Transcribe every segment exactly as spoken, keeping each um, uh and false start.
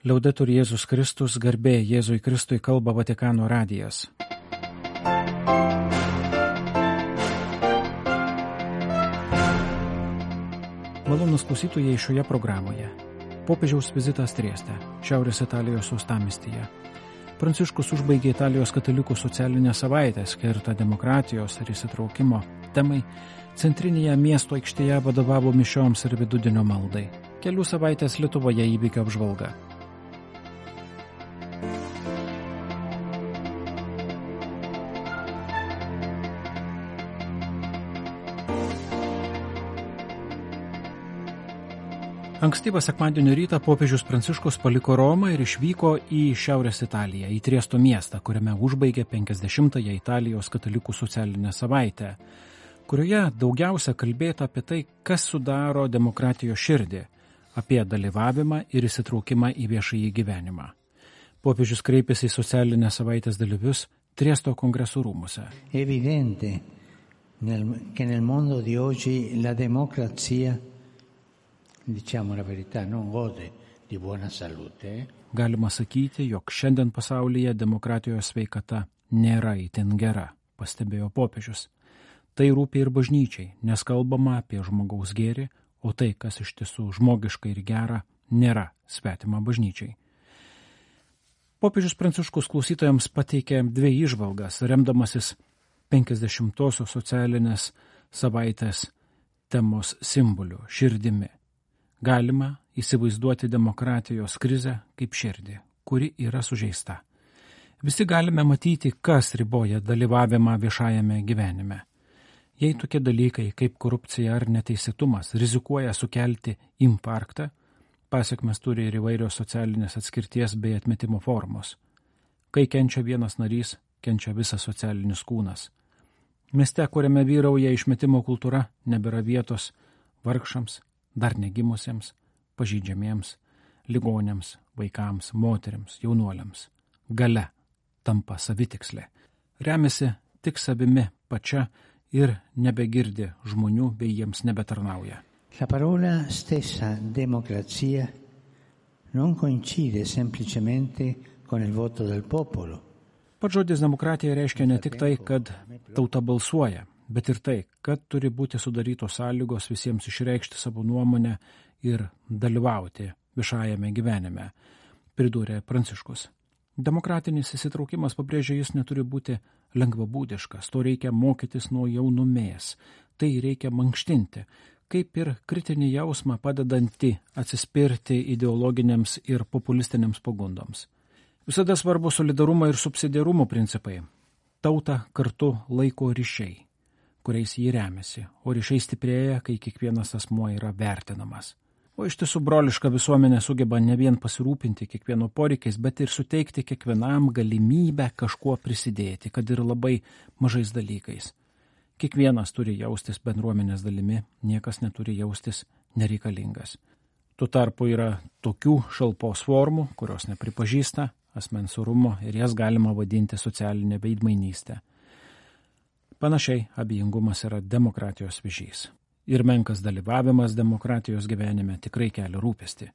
Liaudetur Jėzus Kristus, garbė Jėzui Kristui, kalba Vatikano radijas. Malonūs klausytojai šioje programoje. Popiežiaus vizitas Trieste, Šiaurės Italijos uostamiestyje. Pranciškus užbaigė Italijos katalikų socialinę savaitę skirtą demokratijos ir įsitraukimo temai. Centrinėje miesto aikštėje vadovavo mišioms ir vidudienio maldai. Kelių savaitės Lietuvoje įvykio apžvalga. Ankstyvą sekmadienio rytą popiežius Pranciškus paliko Romą ir išvyko į Šiaurės Italiją, į Triesto miestą, kuriame užbaigė penkiasdešimtąją Italijos katalikų socialinę savaitę, kurioje daugiausia kalbėta apie tai, kas sudaro demokratijos širdį, apie dalyvavimą ir įsitraukimą į viešąjį gyvenimą. Popiežius kreipėsi į socialinę savaitės dalyvius Triesto kongresų rūmuose. Evidente che nel mondo di oggi la democrazia, diciamo la verità, non gode di buona salute. Galima sakyti, jog šiandien pasaulyje demokratijos sveikata nėra itin gera, pastebėjo popiežius. Tai rūpi ir bažnyčiai, nes kalbama apie žmogaus gėrį, o tai, kas iš tiesų žmogiška ir gera, nėra svetima bažnyčiai. Popiežius Pranciškus klausytojams pateikė dvi įžvalgas, remdamasis penkiasdešimtosios socialinės savaitės temos simboliu – širdimi. Galima įsivaizduoti demokratijos krizę kaip širdį, kuri yra sužeista. Visi galime matyti, kas riboja dalyvavimą viešajame gyvenime. Jei tokie dalykai kaip korupcija ar neteisėtumas rizikuoja sukelti infarktą, pasekmes turi ir įvairios socialinės atskirties bei atmetimo formos. Kai kenčia vienas narys, kenčia visas socialinis kūnas. Mieste, kuriame vyrauja išmetimo kultūra, nebėra vietos vargšams, dar negimusiems, pažydžiamiems, ligonėms, vaikams, moteriams, jaunuoliams. Galia tampa savitikslė. Remiasi tik savimi pačia ir nebegirdi žmonių bei jiems nebetarnauja. La parola stessa democrazia non coincide semplicemente con il voto del popolo. Pats žodis demokratija reiškia ne tik tai, kad tauta balsuoja, bet ir tai, kad turi būti sudarytos sąlygos visiems išreikšti savo nuomonę ir dalyvauti viešajame gyvenime, pridūrė Pranciškus. Demokratinis įsitraukimas, pabrėžia jis, neturi būti lengvabūdiškas, to reikia mokytis nuo jaunumės, tai reikia mankštinti, kaip ir kritinį jausmą padedantį atsispirti ideologiniams ir populistiniams pagundoms. Visada svarbu solidarumo ir subsidiarumo principai. Tauta kartu laiko ryšiai, kuriais jį remiasi, o ryšiai stiprėja, kai kiekvienas asmuo yra vertinamas. O iš tiesų broliška visuomenė sugeba ne vien pasirūpinti kiekvieno poreikiais, bet ir suteikti kiekvienam galimybę kažkuo prisidėti, kad ir labai mažais dalykais. Kiekvienas turi jaustis bendruomenės dalimi, niekas neturi jaustis nereikalingas. Tuo tarpu yra tokių šalpos formų, kurios nepripažįsta asmens orumo ir jas galima vadinti socialinė veidmainystė. Panašiai, abejingumas yra demokratijos vėžys. Ir menkas dalyvavimas demokratijos gyvenime tikrai kelia rūpestį.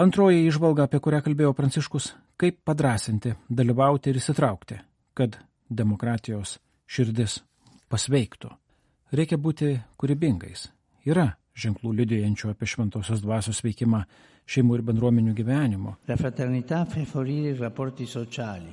Antroji įžvalga, apie kurią kalbėjo Pranciškus, kaip padrasinti, dalyvauti ir įsitraukti, kad demokratijos širdis pasveiktų. Reikia būti kūrybingais. Yra ženklų liudijančių apie šventosios dvasios veikimą šeimų ir bendruomenių gyvenimo.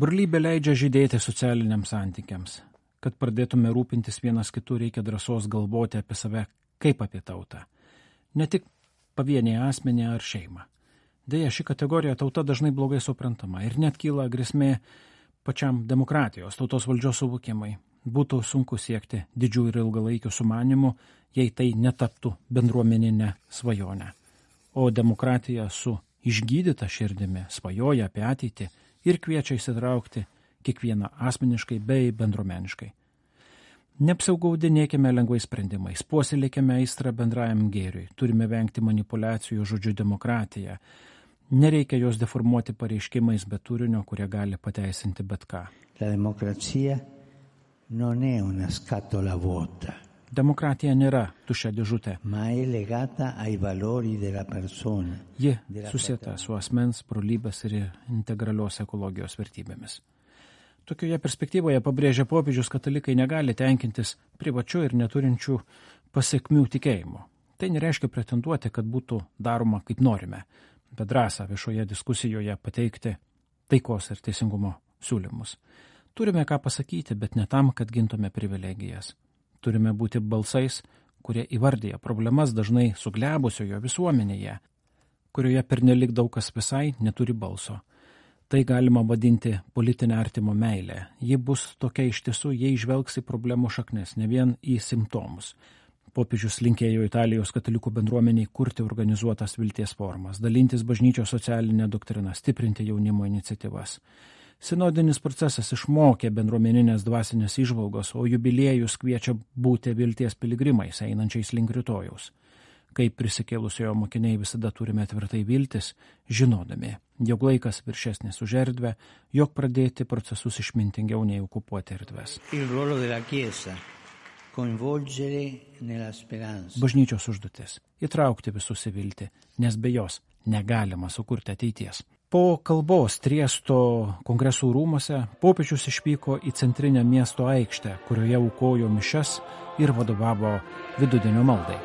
Brolybė leidžia žydėti socialiniams santykiams. Kad pradėtume rūpintis vienas kitų, reikia drąsos galvoti apie save kaip apie tautą. Ne tik pavieniai asmenį ar šeimą. Deja, ši kategorija tauta dažnai blogai suprantama ir net kyla grėsmė pačiam demokratijos, tautos valdžios suvokimai. Būtų sunku siekti didžių ir ilgalaikių sumanimų, jei tai netaptų bendruomeninę svajonę. O demokratija su išgydyta širdimi svajoja apie ateitį ir kviečia įsitraukti kiekvieną asmeniškai bei bendruomeniškai. Neapsigaudinėkime lengvais sprendimais, puoselėkime aistrą bendrajam gėriui, turime vengti manipulacijų žodžiu demokratiją. Nereikia jos deformuoti pareiškimais be turinio, kurie gali pateisinti bet ką. La democrazia non è una scatola vuota. Demokratija nėra tuščia dėžutė. ma è legata ai valori della persona. Ji susieta su asmens, brolybės ir integralios ekologijos vertybėmis. Tokioje perspektyvoje pabrėžia popiežius, katalikai negali tenkintis privačiu ir neturinčių pasiekmių tikėjimu. Tai nereiškia pretenduoti, kad būtų daroma kaip norime, bet drąsą viešoje diskusijoje pateikti taikos ir teisingumo siūlymus. Turime ką pasakyti, bet ne tam, kad gintume privilegijas. Turime būti balsais, kurie įvardyja problemas dažnai suglebusiojo visuomenėje, kurioje pernelik daug kas visai neturi balso. Tai galima vadinti politinę artimo meilę. Ji bus tokia iš tiesų, jei žvelgs į problemų šaknis, ne vien į simptomus. Popiežius linkėjo Italijos katalikų bendruomeniai kurti organizuotas vilties formas, dalintis bažnyčios socialinę doktriną, stiprinti jaunimo iniciatyvas. Sinodinis procesas išmokė bendruomeninės dvasinės įžvalgos, o jubiliejus kviečia būti vilties piligrimais, einančiais link rytojaus. Kaip prisikėlusiojo mokiniai visada turime tvirtai viltis, žinodami, jog laikas viršesnis už erdvę, jog pradėti procesus išmintingiau nei okupuoti erdves. Bažnyčios užduotis – įtraukti visus į viltį, nes be jos negalima sukurti ateities. Po kalbos Triesto kongresų rūmose popiežius išvyko į centrinę miesto aikštę, kurioje aukojo mišias ir vadovavo vidudienio maldai.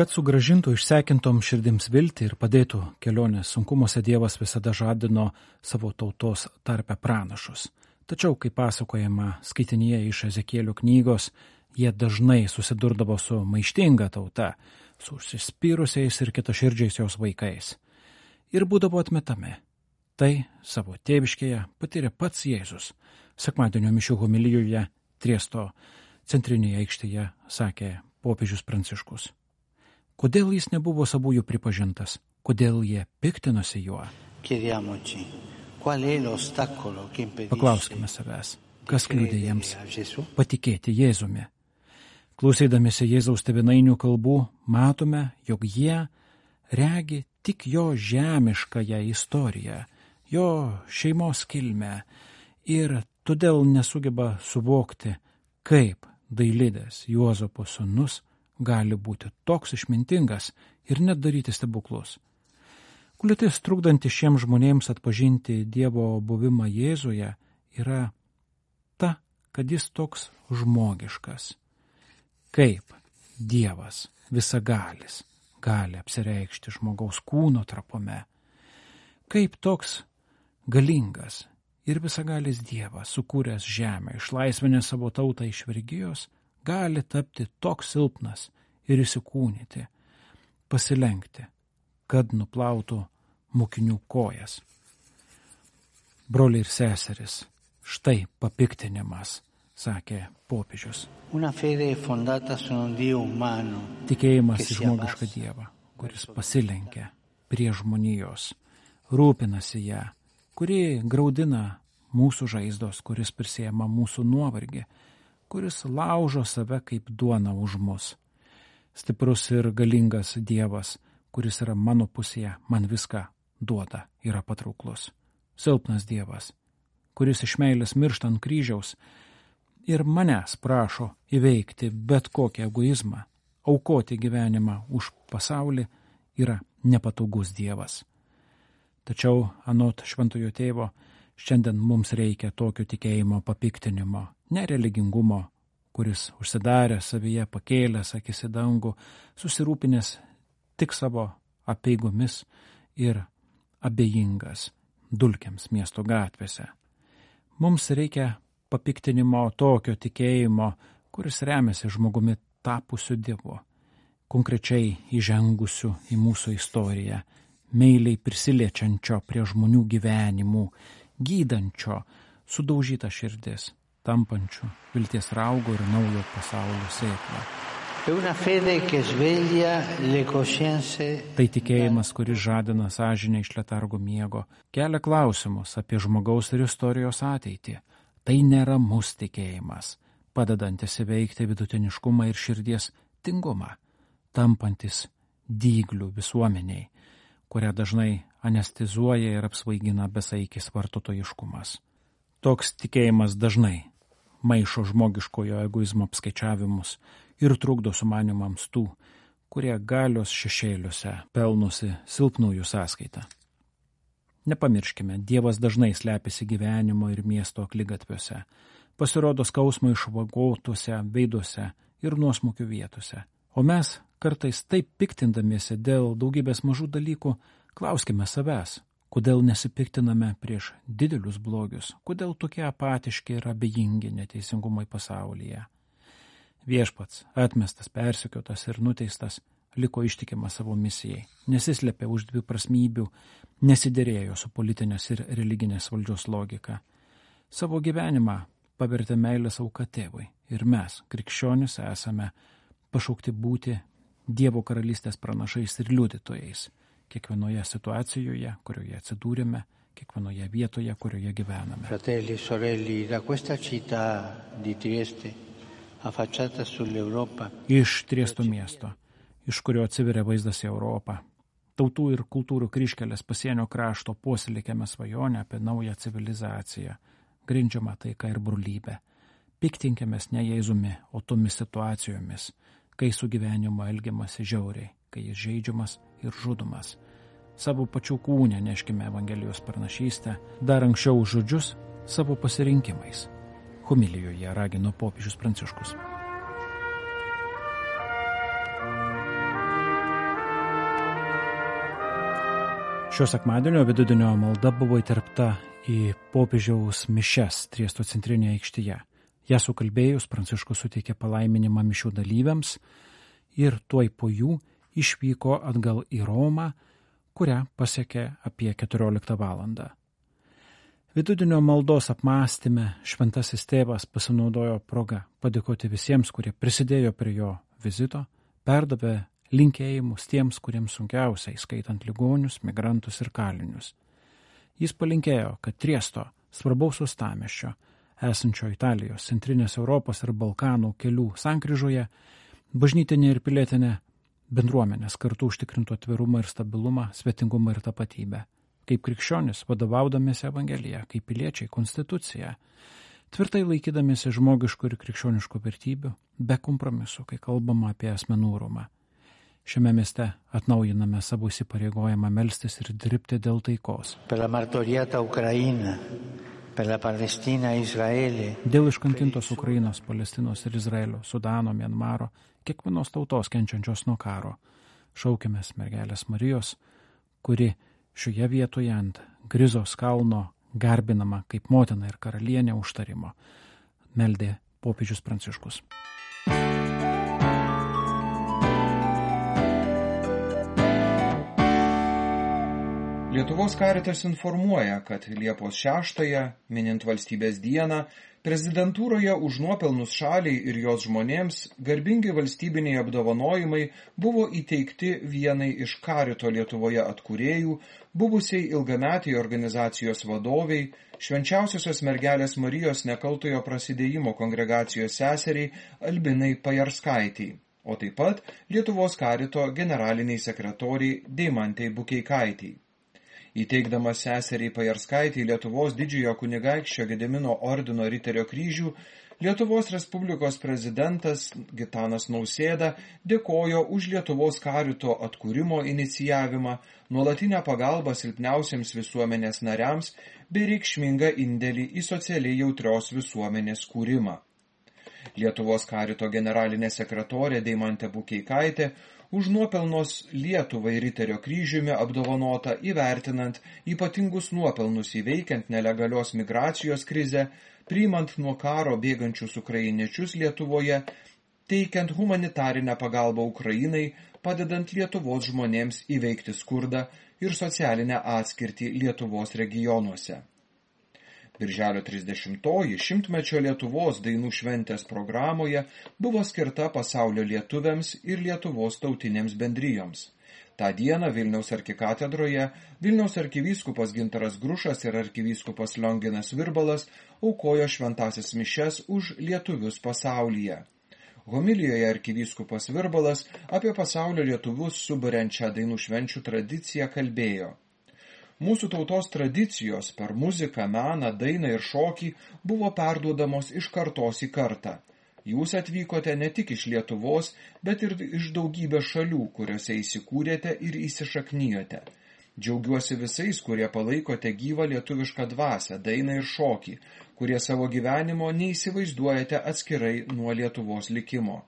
Kad sugrąžintų išsekintom širdims viltį ir padėtų kelionės sunkumuose, Dievas visada žadino savo tautos tarpe pranašus. Tačiau, kaip pasakojama skaitinyje iš Ezekielio knygos, jie dažnai susidurdavo su maištinga tauta, su užsispyrusiais ir kitaširdžiais jos vaikais. Ir būdavo atmetami. Tai savo tėviškėje patyrė pats Jėzus. Sekmadienio mišių homilijoje Triesto centrinėje aikštėje sakė popiežius Pranciškus. Kodėl jis nebuvo savųjų pripažintas? Kodėl jie piktinosi juo? Paklauskime savęs, kas kliudė jiems patikėti Jėzumi. Klausydamėsi Jėzaus tėvynainių kalbų, matome, jog jie regi tik jo žemiškąją istoriją, jo šeimos kilmę ir todėl nesugeba suvokti, kaip Dailidės Juozapo sūnus gali būti toks išmintingas ir net daryti stebuklus. Kliūtis trukdanti šiems žmonėms atpažinti Dievo buvimą Jėzuje yra ta, kad jis toks žmogiškas. Kaip Dievas visagalis gali apsireikšti žmogaus kūno trapume. Kaip toks galingas ir visagalis Dievas, sukūręs žemę, išlaisvinęs savo tautą iš vergijos, gali tapti toks silpnas ir įsikūnyti, pasilenkti, kad nuplautų mokinių kojas. Broliai ir seseris, štai papiktinimas, sakė popiežius. Tikėjimas į žmogišką Dievą, kuris pasilenkia prie žmonijos, rūpinasi ją, kuri graudina mūsų žaizdos, kuris prisiema mūsų nuovargį, kuris laužo save kaip duona už mus. Stiprus ir galingas Dievas, kuris yra mano pusėje, man viską duoda, yra patrauklus. Silpnas Dievas, kuris iš meilės miršta ant kryžiaus ir manęs prašo įveikti bet kokį egoizmą, aukoti gyvenimą už pasaulį, yra nepatogus Dievas. Tačiau, anot šventojo tėvo, šiandien mums reikia tokio tikėjimo papiktinimo, nereligingumo, kuris užsidarė savyje, pakėlęs akis į dangų, susirūpinęs tik savo apeigomis ir abejingas dulkiams miesto gatvėse. Mums reikia papiktinimo tokio tikėjimo, kuris remiasi žmogumi tapusiu Dievu, konkrečiai įžengusiu į mūsų istoriją, meiliai prisiliečiančio prie žmonių gyvenimų, gydančio sudaužytą širdis, tampančių vilties raugo ir naujo pasaulio sėklą. Tai tikėjimas, kuris žadina sąžinę iš letargo miego, kelia klausimus apie žmogaus ir istorijos ateitį. Tai neramus tikėjimas, padedantis įveikti vidutiniškumą ir širdies tingumą, tampantis dyglių visuomeniai, kurią dažnai anestizuoja ir apsvaigina besaikis vartotojiškumas. Toks tikėjimas dažnai maišo žmogiškojo egoizmo apskaičiavimus ir trukdo sumanimams tų, kurie galios šešėliuose pelnosi silpnųjų sąskaitą. Nepamirškime, Dievas dažnai slepiasi gyvenimo ir miesto akligatviuose, pasirodo skausmo išvagotuose veiduose ir nuosmukių vietose. O mes, kartais taip piktindamiesi dėl daugybės mažų dalykų, klauskime savęs, kodėl nesipiktiname prieš didelius blogius, kodėl tokie apatiški ir abejingi neteisingumai pasaulyje. Viešpats, atmestas, persekiotas ir nuteistas, liko ištikimas savo misijai, nesislėpė už dviprasmybių, nesiderėjo su politinės ir religinės valdžios logika. Savo gyvenimą pavertė meilės auka tėvui ir mes, krikščionys, esame pašaukti būti Dievo karalystės pranašais ir liudytojais kiekvienoje situacijoje, kurioje atsidūrėme, kiekvienoje vietoje, kurioje gyvename. Fratelli, sorelli, da questa città di Trieste, affacciata sull'Europa. Iš Triesto miesto, iš kurio atsiveria vaizdas į Europą, tautų ir kultūrų kryžkelės pasienio krašto puoselėkėme svajonę apie naują civilizaciją, grindžiamą taika ir brolybę. Piktinkėmės ne Jėzumi, o tomis situacijomis, kai su gyvenimu elgiamasi žiauriai, kai jis žeidžiamas ir žudomas. Savo pačių kūne neškime Evangelijos pranašystę, dar anksčiau už žodžius savo pasirinkimais. Homilijoje ragino popiežius Pranciškus. Šio sekmadienio vidudienio malda buvo įterpta į popiežiaus mišias Triesto centrinėje aikštėje. Ją sukalbėjus, Pranciškus suteikė palaiminimą mišių dalyviams ir tuoj po jų išvyko atgal į Romą, kurią pasiekė apie keturioliktą valandą. Vidudienio maldos apmąstyme šventasis tėvas pasinaudojo progą padėkoti visiems, kurie prisidėjo prie jo vizito, perdavė linkėjimus tiems, kuriems sunkiausiai, skaitant ligonius, migrantus ir kalinius. Jis palinkėjo, kad Triesto, svarbaus uostamiesčio, esančio Italijos, Centrinės Europos ir Balkanų kelių sankryžoje, bažnytinė ir pilietinė bendruomenės kartu užtikrintų atvirumą ir stabilumą, svetingumą ir tapatybę. Kaip krikščionis, vadovaudamiesi Evangeliją, kaip piliečiai konstituciją, tvirtai laikydamiesi žmogiškų ir krikščioniškų vertybių, be kompromisų, kai kalbama apie asmenų orumą. Šiame mieste atnaujiname savo įsipareigojimą melstis ir dirbti dėl taikos. Per la martoriata Ukraina, per la Palestina, Izraelį. Dėl iškankintos Ukrainos, Palestinos ir Izraelio, Sudano, Mianmaro, kiekvienos tautos kenčiančios nuo karo. Šaukimės mergelės Marijos, kuri šioje vietoje ant Grizos kalno garbinama kaip motina ir karalienė užtarimo, meldė popiežius Pranciškus. Lietuvos Caritas informuoja, kad Liepos šeštąją, minint valstybės dieną, prezidentūroje už nuopelnus šaliai ir jos žmonėms garbingi valstybiniai apdovanojimai buvo įteikti vienai iš Carito Lietuvoje atkūrėjų, buvusiai ilgametiai organizacijos vadoviai, Švenčiausiosios mergelės Marijos nekaltojo prasidėjimo kongregacijos seseriai Albinai Pajarskaitei, o taip pat Lietuvos Carito generaliniai sekretoriai Deimantei Bukeikaitei. Įteikdamas seseriai Pajarskaitei Lietuvos didžiojo kunigaikščio Gedimino ordino riterio kryžių, Lietuvos Respublikos prezidentas Gitanas Nausėda dėkojo už Lietuvos Carito atkūrimo inicijavimą, nuolatinę pagalbą silpniausiems visuomenės nariams bei reikšmingą indėlį į socialiai jautrios visuomenės kūrimą. Lietuvos Carito generalinė sekretorė Deimantė Bukeikaitė už nuopelnus Lietuvai riterio kryžiumi apdovanota įvertinant ypatingus nuopelnus įveikiant nelegalios migracijos krizę, priimant nuo karo bėgančius ukrainiečius Lietuvoje, teikiant humanitarinę pagalbą Ukrainai, padedant Lietuvos žmonėms įveikti skurdą ir socialinę atskirtį Lietuvos regionuose. Birželio trisdešimtoji šimtmečio Lietuvos dainų šventės programoje buvo skirta pasaulio lietuviams ir Lietuvos tautinėms bendrijoms. Ta dieną Vilniaus arkikatedroje Vilniaus arkivyskupas Gintaras Grušas ir arkivyskupas Lionginas Virbalas aukojo šventąsias mišias už lietuvius pasaulyje. Homilijoje arkivyskupas Virbalas apie pasaulio lietuvius suburiančią dainų švenčių tradiciją kalbėjo. Mūsų tautos tradicijos per muziką, meną, dainą ir šokį buvo perduodamos iš kartos į kartą. Jūs atvykote ne tik iš Lietuvos, bet ir iš daugybės šalių, kuriuose įsikūrėte ir įsišaknijote. Džiaugiuosi visais, kurie palaikote gyvą lietuvišką dvasią, dainą ir šokį, kurie savo gyvenimo neįsivaizduojate atskirai nuo Lietuvos likimo.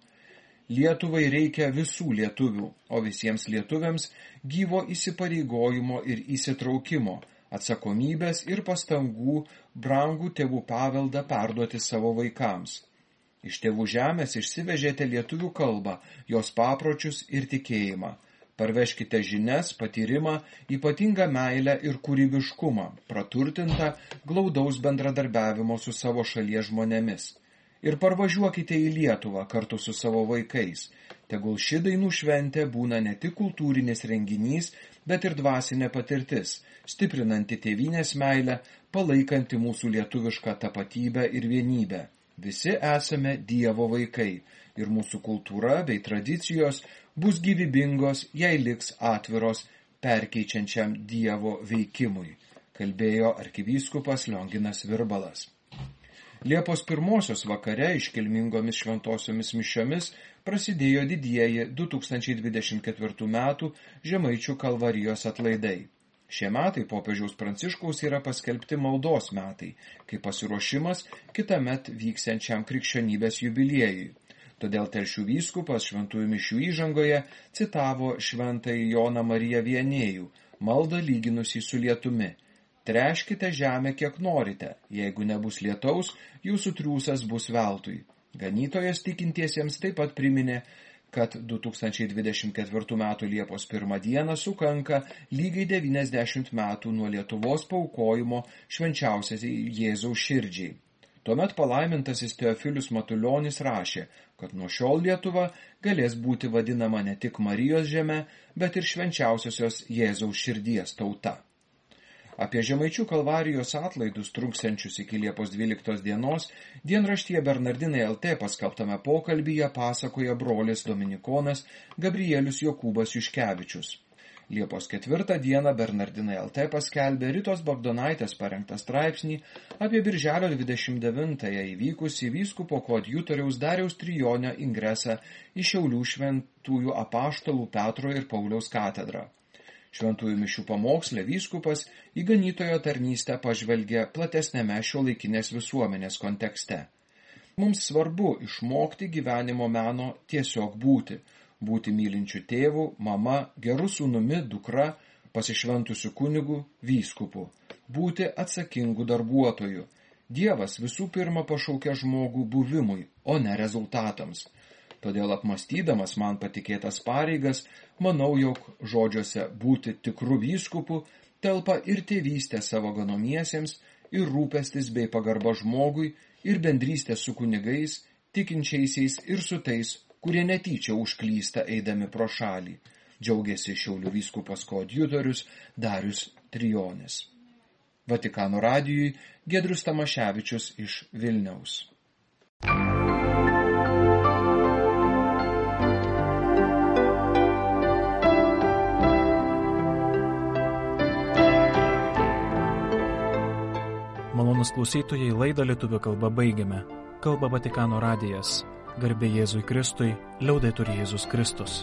Lietuvai reikia visų lietuvių, o visiems lietuviams gyvo įsipareigojimo ir įsitraukimo, atsakomybės ir pastangų brangų tėvų paveldą perduoti savo vaikams. Iš tėvų žemės išsivežėte lietuvių kalbą, jos papročius ir tikėjimą. Parveškite žinias, patyrimą, ypatingą meilę ir kūrybiškumą, praturtintą glaudaus bendradarbiavimo su savo šalies žmonėmis. Ir parvažiuokite į Lietuvą kartu su savo vaikais. Tegul ši dainų šventė būna ne tik kultūrinis renginys, bet ir dvasinė patirtis, stiprinanti tėvynės meilę, palaikanti mūsų lietuvišką tapatybę ir vienybę. Visi esame Dievo vaikai ir mūsų kultūra bei tradicijos bus gyvybingos, jei liks atviros perkeičiančiam Dievo veikimui, kalbėjo arkivyskupas Lionginas Virbalas. Liepos pirmosios vakare iškilmingomis šventosiomis mišiomis prasidėjo didieji du tūkstančiai dvidešimt ketvirtų metų Žemaičių kalvarijos atlaidai. Šie metai popiežiaus Pranciškaus yra paskelbti maldos metai, kaip pasiruošimas kitąmet vyksiančiam krikščionybės jubiliejui. Todėl Telšių vyskupas šventųjų mišių įžangoje citavo šventąjį Joną Mariją Viannėjų, maldą lyginusį su lietumi. Treškite žemę kiek norite, jeigu nebus lietaus, jūsų triūsas bus veltui. Ganytojas tikintiesiems taip pat priminė, kad du tūkstančiai dvidešimt ketvirtų metų Liepos pirmą dieną sukanka lygiai devyniasdešimt metų nuo Lietuvos paaukojimo švenčiausiai Jėzaus širdžiai. Tuomet palaimintasis Teofilius Matulionis rašė, kad nuo šiol Lietuva galės būti vadinama ne tik Marijos žeme, bet ir švenčiausiosios Jėzaus širdies tauta. Apie Žemaičių kalvarijos atlaidus truksiančius iki Liepos dvyliktos dienos dienraštyje Bernardinai L T paskelbtame pokalbyje pasakoja brolis dominikonas Gabrielius Jokūbas Juškevičius. Liepos ketvirtą dieną Bernardinai L T paskelbė Ritos Bagdonaitės parengtą straipsnį apie birželio dvidešimt devintąją įvykusį vyskupo koadjutoriaus Dariaus Trijonio ingresą į Šiaulių šventųjų apaštalų Petro ir Pauliaus katedrą. Šventųjų mišių pamoksle vyskupas į ganytojo tarnystę pažvelgė platesnėme šiuolaikinės visuomenės kontekste. Mums svarbu išmokti gyvenimo meno tiesiog būti, būti mylinčių tėvų, mama, geru sūnumi, dukra, pasišventusiu kunigu, vyskupu, būti atsakingu darbuotoju. Dievas visų pirma pašaukia žmogų buvimui, o ne rezultatams. Todėl apmastydamas man patikėtas pareigas, manau, jog žodžiuose būti tikru vyskupu telpa ir tėvystė savo ganomiesiems, ir rūpestis bei pagarba žmogui, ir bendrystė su kunigais, tikinčiaisiais ir su tais, kurie netyčia užklysta eidami pro šalį, džiaugiasi Šiaulių vyskupas koadjutorius Darius Trijonis. Vatikano radijui Giedrius Tamaševičius iš Vilniaus. Malonūs klausytojai, laidą lietuvių kalba baigiame. Kalba Vatikano radijas. Garbė Jėzui Kristui, liaudetur Jėzus Kristus.